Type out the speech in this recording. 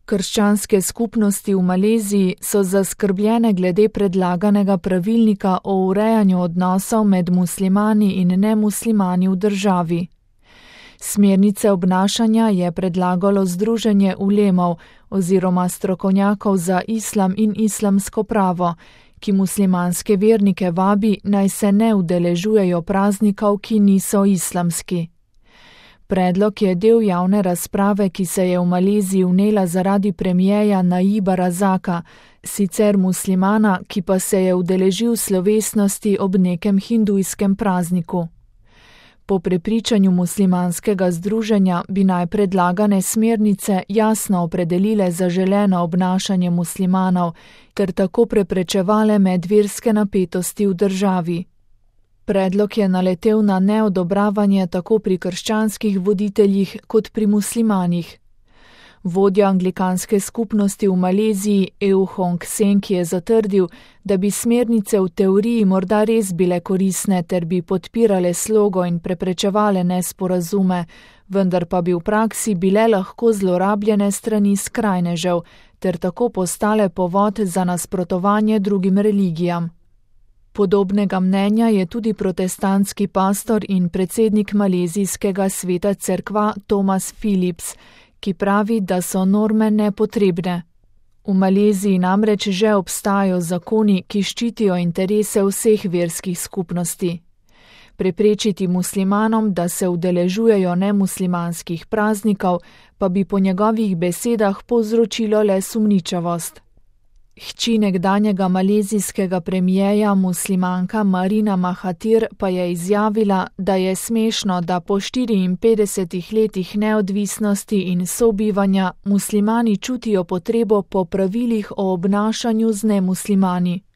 Krščanske skupnosti v Maleziji so zaskrbljene glede predlaganega pravilnika o urejanju odnosov med muslimani in nemuslimani v državi. Smernice obnašanja je predlagalo Združenje ulemov oziroma strokovnjakov za islam in islamsko pravo, ki muslimanske vernike vabi, naj se ne udeležujejo praznikov, ki niso islamski. Predlog je del javne razprave, ki se je v Maleziji vnela zaradi premierja Najiba Razaka, sicer muslimana, ki pa se je udeležil slovesnosti ob nekem hindujskem prazniku. Po prepričanju muslimanskega združenja bi naj predlagane smernice jasno opredelile zaželeno obnašanje muslimanov ter tako preprečevale medverske napetosti v državi. Predlog je naletel na neodobravanje tako pri krščanskih voditeljih kot pri muslimanih. Vodja anglikanske skupnosti v Maleziji EU Hong Seng je zatrdil, da bi smernice v teoriji morda res bile koristne ter bi podpirale slogo in preprečevale nesporazume, vendar pa bi v praksi bile lahko zlorabljene strani skrajnežev ter tako postale povod za nasprotovanje drugim religijam. Podobnega mnenja je tudi protestantski pastor in predsednik malezijskega sveta cerkva Thomas Phillips, ki pravi, da so norme nepotrebne. V Maleziji namreč že obstajajo zakoni, ki ščitijo interese vseh verskih skupnosti. Preprečiti muslimanom, da se udeležujejo nemuslimanskih praznikov, pa bi po njegovih besedah povzročilo le sumničavost. Hči nekdanjega malezijskega premierja muslimanka Marina Mahathir pa je izjavila, da je smešno, da po 54 letih neodvisnosti in sobivanja muslimani čutijo potrebo po pravilih o obnašanju z nemuslimani.